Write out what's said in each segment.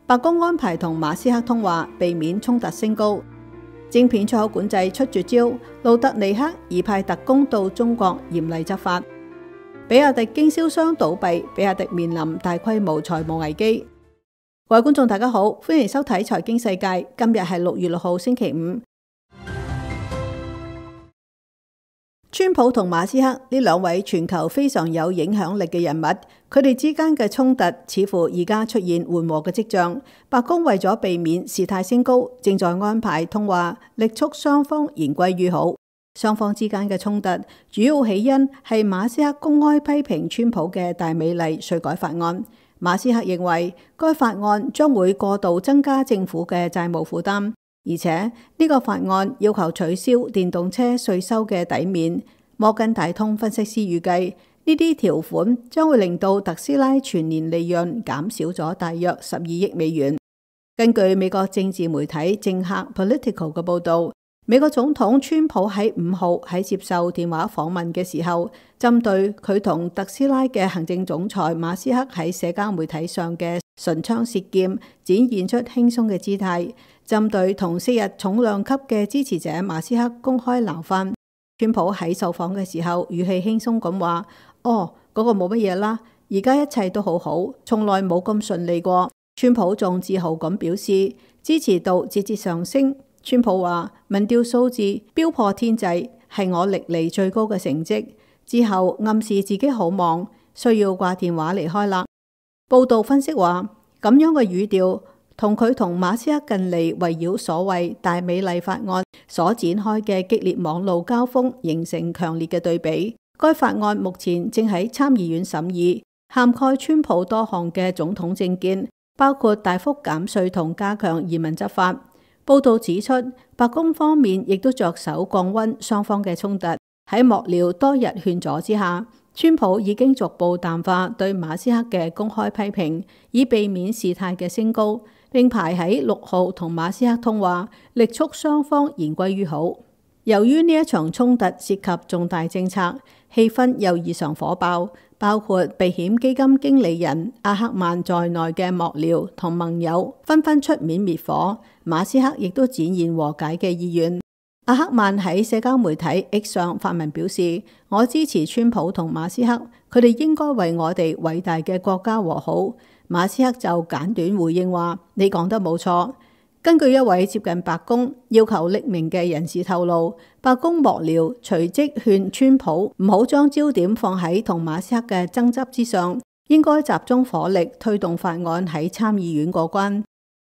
白宮安排同馬斯克通話，避免衝突升高。晶片出口管制出絕招，路特尼克已派特工到中國嚴厲執法。比亞迪經銷商倒閉，比亞迪面臨大規模財務危機。各位觀眾大家好，歡迎收睇財經世界。今日係6月6號星期五。川普同馬斯克呢兩位全球非常有影響力嘅人物，佢哋之間嘅衝突似乎而家出現緩和嘅跡象。白宮為咗避免事態升高，正在安排通話，力促雙方言歸於好。雙方之間嘅衝突主要起因係馬斯克公開批評川普嘅大美麗稅改法案。馬斯克認為該法案將會過度增加政府嘅債務負擔。而且呢個法案要求取消電動車稅收嘅抵免。摩根大通分析師預計呢啲條款將會令到特斯拉全年利潤減少咗大約12億美元。根據美國政治媒體政客 Politico 嘅報導，美國總統川普喺5號喺接受電話訪問嘅時候，針對佢同特斯拉嘅行政總裁馬斯克喺社交媒體上嘅唇槍舌劍，展現出輕鬆嘅姿態。針對同昔日重量級嘅支持者馬斯克公開鬧翻，川普喺受訪嘅時候語氣輕鬆咁話：嗰個冇乜嘢啦，而家一切都好好，從來冇咁順利過。川普仲自豪咁表示支持度節節上升。川普話民調數字飆破天際，係我歷嚟最高嘅成績。之後暗示自己好忙，需要掛電話離開啦。報道分析話，咁樣嘅語調同佢同馬斯克近嚟圍繞所謂大美麗法案所展開嘅激烈網路交鋒形成強烈嘅對比。該法案目前正喺參議院審議，涵蓋川普多項嘅總統政見，包括大幅減稅同加強移民執法。報道指出，白宮方面亦都着手降溫雙方嘅衝突。喺幕僚多日勸阻之下，川普已經逐步淡化對馬斯克嘅公開批評，以避免事態嘅升高，並排喺6號同馬斯克通話，力促雙方言歸於好。由於呢一場衝突涉及重大政策，氣氛又異常火爆，包括避險基金經理人阿克曼在內嘅幕僚同盟友紛紛出面滅火，馬斯克亦都展現和解嘅意願。阿克曼喺社交媒體 X 上發文表示：我支持川普同馬斯克，佢哋應該為我哋偉大嘅國家和好。馬斯克就簡短回應話：你講得冇錯。根據一位接近白宮要求匿名嘅人士透露，白宮幕僚隨即勸川普唔好將焦點放喺同馬斯克嘅爭執之上，應該集中火力推動法案喺參議院過關。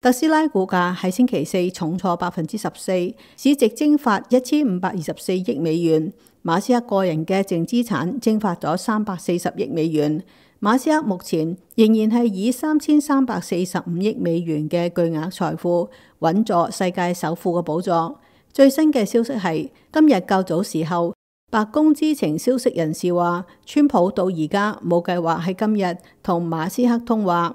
特斯拉股價喺星期四重挫14%，市值蒸發1524億美元。馬斯克個人嘅淨資產蒸發咗340億美元。馬斯克目前仍然係以3345億美元嘅巨額財富穩坐世界首富嘅寶座。最新嘅消息係今日較早時候，白宮知情消息人士話，川普到而家冇計劃喺今日同馬斯克通話。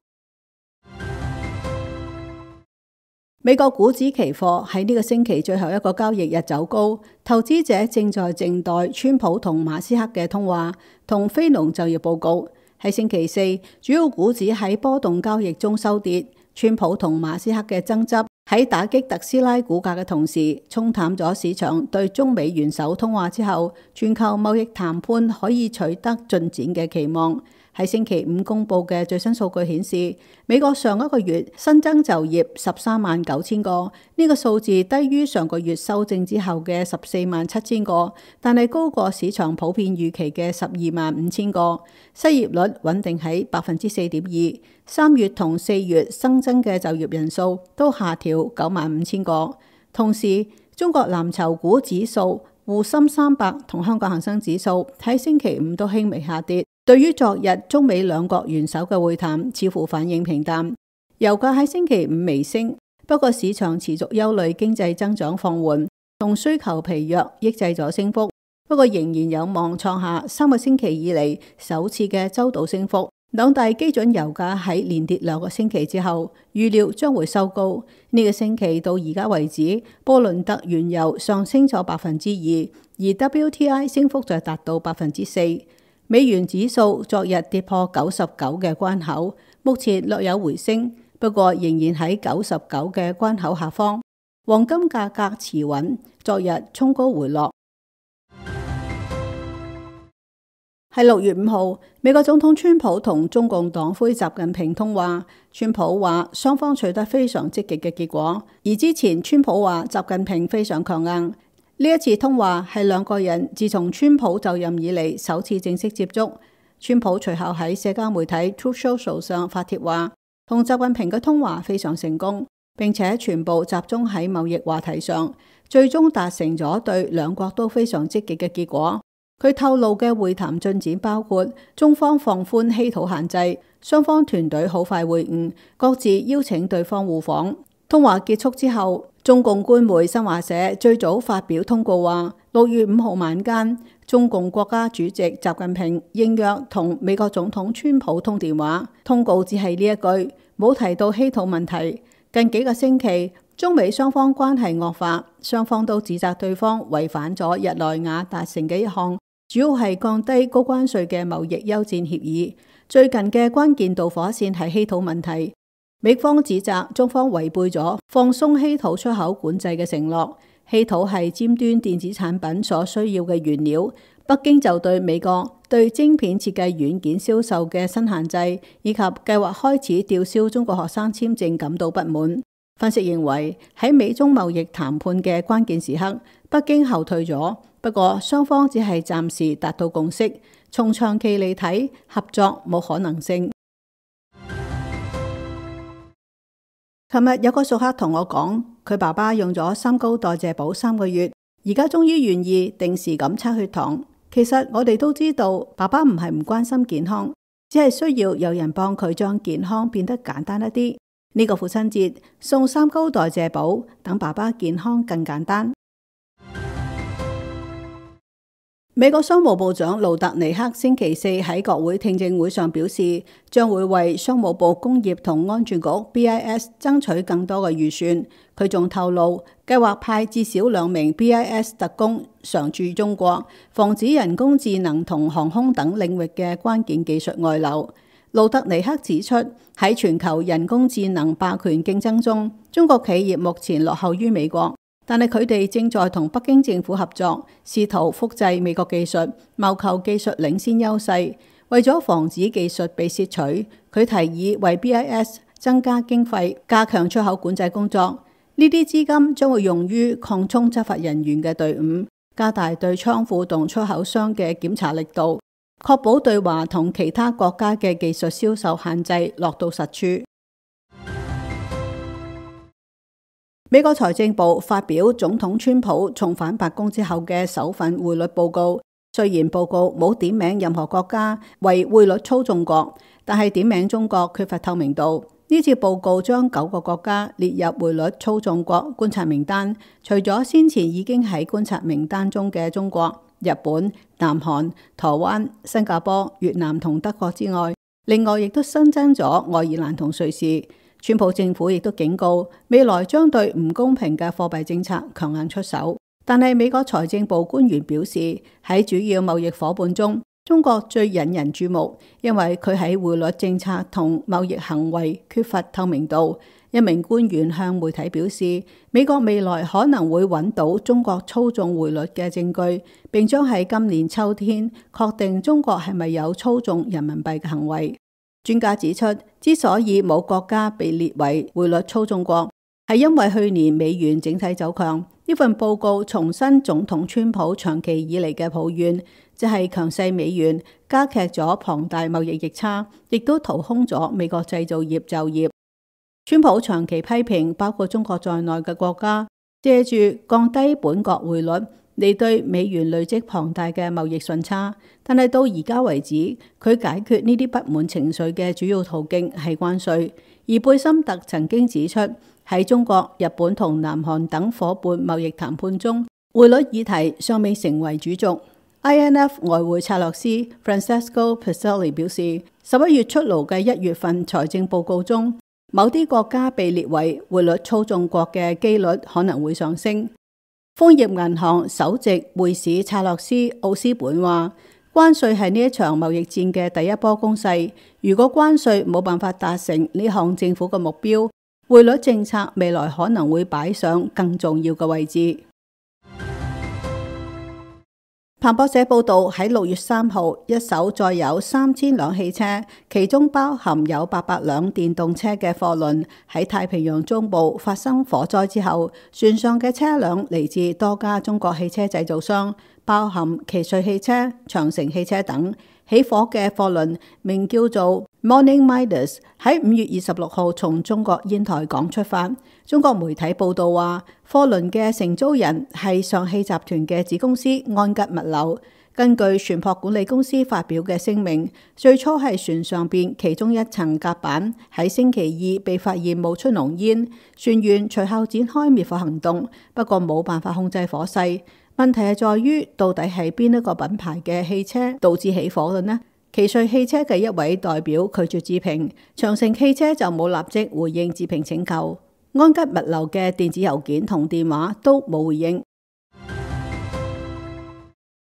美國股指期貨喺呢個星期最後一個交易日走高，投資者正在靜待川普同馬斯克嘅通話同非農就業報告。喺星期四，主要股指喺波動交易中收跌。川普同馬斯克嘅爭執喺打擊特斯拉股價嘅同時，沖淡咗市場對中美元首通話之後全球貿易談判可以取得進展嘅期望。喺星期五公布嘅最新數據顯示，美國上一個月新增就業139000個，呢個數字低於上個月修正之後嘅147000個，但係高過市場普遍預期嘅125000個。失業率穩定喺4.2%。3月同4月新增嘅就業人數都下調95000個。同時，中國藍籌股指數、滬深300同香港恒生指數喺星期五都輕微下跌。對於昨日中美兩國元首嘅會談，似乎反應平淡。油價喺星期五微升，不過市場持續憂慮經濟增長放緩同需求疲弱，抑制咗升幅。不過仍然有望創下3個星期以嚟首次嘅周度升幅。兩大基準油價喺連跌2個星期之後，預料將會收高。呢個星期到而家為止，波倫特原油上升咗2%，而 WTI 升幅就達到4%。美元指數昨日跌破99嘅關口，目前略有回升，不過仍然喺99嘅關口下方。黃金價格持穩，昨日衝高回落。喺6月5號，美國總統川普同中共黨魁習近平通話。川普話雙方取得非常積極嘅結果，而之前川普話習近平非常強硬。呢一次通話係兩個人自從川普就任以嚟首次正式接觸。川普隨後喺社交媒體 Truth Social 上發帖話，同習近平嘅通話非常成功，並且全部集中喺貿易話題上，最終達成咗對兩國都非常積極嘅結果。佢透露嘅會談進展包括中方放寬稀土限制，雙方團隊好快會晤，各自邀請對方互訪。通話結束之後，中共官媒新華社最早發表通告話，6月5號晚間，中共國家主席習近平應約同美國總統川普通電話，通告只係呢一句，冇提到稀土問題。近幾個星期，中美雙方關係惡化，雙方都指責對方違反咗日內瓦達成嘅一項主要係降低高關稅嘅貿易休戰協議。最近嘅關鍵導火線係稀土問題，美方指責中方違背咗放鬆稀土出口管制嘅承諾。稀土係尖端電子產品所需要嘅原料，北京就對美國對晶片設計軟件銷售嘅新限制，以及計劃開始吊銷中國學生簽證感到不滿。分析認為，喺美中貿易談判嘅關鍵時刻，北京後退咗，不過雙方只係暫時達到共識，從長期嚟睇，合作冇可能性。琴日有個熟客同我講，佢爸爸用咗三高代謝寶3個月，而家終於願意定時咁測血糖。其實我哋都知道，爸爸唔係唔關心健康，只係需要有人幫佢將健康變得簡單一啲。呢個父親節送三高代謝寶，等爸爸健康更簡單。美國商務部長盧特尼克星期四喺國會聽證會上表示，將會為商務部工業同安全局 BIS 爭取更多嘅預算。佢仲透露，計劃派至少2名 BIS 特工常駐中國，防止人工智能同航空等領域嘅關鍵技術外流。盧特尼克指出，喺全球人工智能霸權競爭中，中國企業目前落後於美國，但係佢哋正在同北京政府合作，試圖複製美國技術，謀求技術領先優勢。為咗防止技術被竊取，佢提議為 BIS 增加經費，加強出口管制工作。呢啲資金將會用於擴充執法人員嘅隊伍，加大對倉庫同出口商嘅檢查力度，確保對華同其他國家嘅技術銷售限制落到實處。美國財政部發表總統川普重返白宮之後嘅首份匯率報告，雖然報告冇點名任何國家為匯率操縱國，但係點名中國缺乏透明度。呢次報告將9個國家列入匯率操縱國觀察名單，除咗先前已經喺觀察名單中嘅中國、日本、南韓、台灣、新加坡、越南同德國之外，另外亦都新增咗愛爾蘭同瑞士。川普政府亦都警告，未來將對唔公平嘅貨幣政策強硬出手。但係美國財政部官員表示，喺主要貿易夥伴中，中國最引人注目，因為佢喺匯率政策同貿易行為缺乏透明度。一名官員向媒體表示，美國未來可能會揾到中國操縱匯率嘅證據，並將喺今年秋天確定中國係咪有操縱人民幣嘅行為。專家指出，之所以冇國家被列為匯率操縱國，係因為去年美元整體走強。呢份報告重申總統川普長期以嚟嘅抱怨，即係強勢美元加劇咗龐大貿易逆差，亦都掏空咗美國製造業就業。川普長期批評包括中國在內嘅國家，借住降低本國匯率嚟對美元累積龐大嘅貿易順差，但係到而家為止，佢解決呢啲不滿情緒嘅主要途徑係關稅。而貝森特曾經指出，喺中國、日本同南韓等夥伴貿易談判中，匯率議題尚未成為主軸。INF 外匯策略師 Francesco Peselli 表示，11月出爐嘅1月份財政報告中，某啲國家被列為匯率操縱國嘅機率可能會上升。豐業銀行首席匯市策略師奧斯本話，關稅係呢一場貿易戰嘅第一波攻勢。如果關稅冇辦法達成呢項政府嘅目標，匯率政策未來可能會擺上更重要嘅位置。彭博社報道，喺6月3號，一艘載有3000輛汽車，其中包含有800輛電動車嘅貨輪喺太平洋中部發生火災之後，船上嘅車輛嚟自多家中國汽車製造商，包含奇瑞汽車、長城汽車等。起火嘅貨輪名叫做 Morning Midas， 喺5月26號從中國煙台港出發。中國媒體報道話，貨輪嘅承租人係上汽集團嘅子公司安吉物流。根據船舶管理公司發表嘅聲明，最初係船上邊其中一層甲板喺星期二被發現冒出濃煙，船員隨後展開滅火行動，不過冇辦法控制火勢。問題係在於，到底係邊一個品牌嘅汽車導致起火嘅呢？奇瑞汽車嘅一位代表拒絕置評，長城汽車就冇立即回應置評請求。安吉物流嘅電子郵件同電話都冇回應。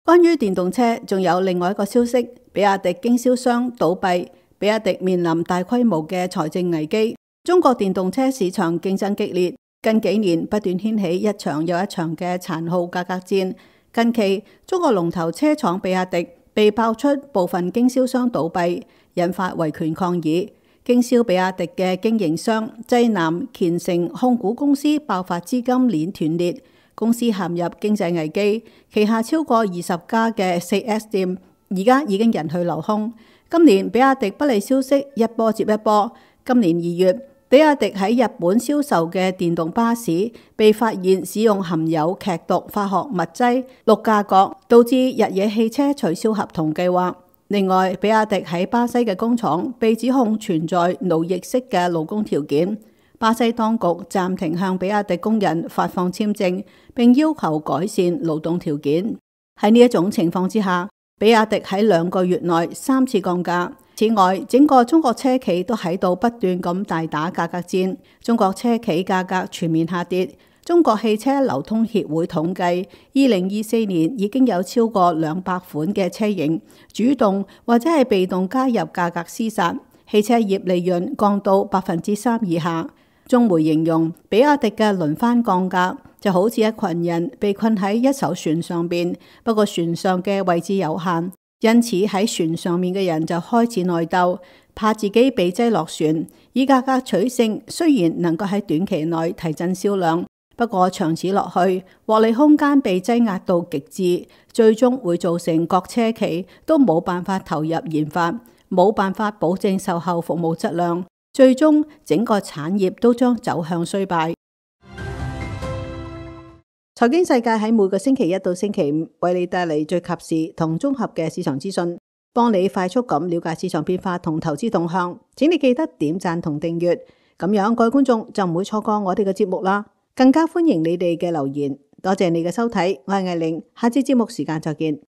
關於電動車，仲有另外一個消息，比亞迪經銷商倒閉，比亞迪面臨大規模嘅財政危機。中國電動車市場競爭激烈，近幾年不斷掀起一場又一場嘅殘酷價格戰。近期，中國龍頭車廠比亞迪被爆出部分經銷商倒閉，引發維權抗議。經銷比亞迪嘅經營商濟南鈐誠控股公司爆發資金鏈斷裂，公司陷入經濟危機，旗下超過20家嘅 4S 店而家已經人去樓空。今年比亞迪不利消息一波接一波。今年2月，比亞迪喺日本銷售嘅電動巴士被發現使用含有劇毒化學物質氯價角，導致日野汽車取消合同計劃。另外，比亞迪喺巴西嘅工廠被指控存在奴役式嘅勞工條件，巴西當局暫停向比亞迪工人發放簽證，並要求改善勞動條件。喺呢一種情況之下，比亞迪喺2個月內3次降價。此外，整個中國車企都喺度不斷咁大打價格戰，中國車企價格全面下跌。中國汽車流通協會統計，2024年已經有超過200款嘅車型主動或者係被動加入價格廝殺，汽車業利潤降到3%以下。中媒形容比亞迪嘅輪番降價就好似一群人被困喺一艘船上邊，不過船上嘅位置有限，因此喺船上面嘅人就開始內鬥，怕自己被擠落船，以價格取勝。雖然能夠喺短期內提振銷量，不過長此落去，獲利空間被擠壓到極致，最終會造成各車企都冇辦法投入研發，冇辦法保證售後服務質量，最終整個產業都將走向衰敗。財經世界喺每個星期1到星期5為你帶嚟最及時同綜合嘅市場資訊，幫你快速咁了解市場變化同投資動向。請你記得點讚同訂閱，咁樣各位觀眾就唔會錯過我哋嘅節目啦。更加歡迎你哋嘅留言，多謝你嘅收睇，我係艾玲，下次節目時間再見。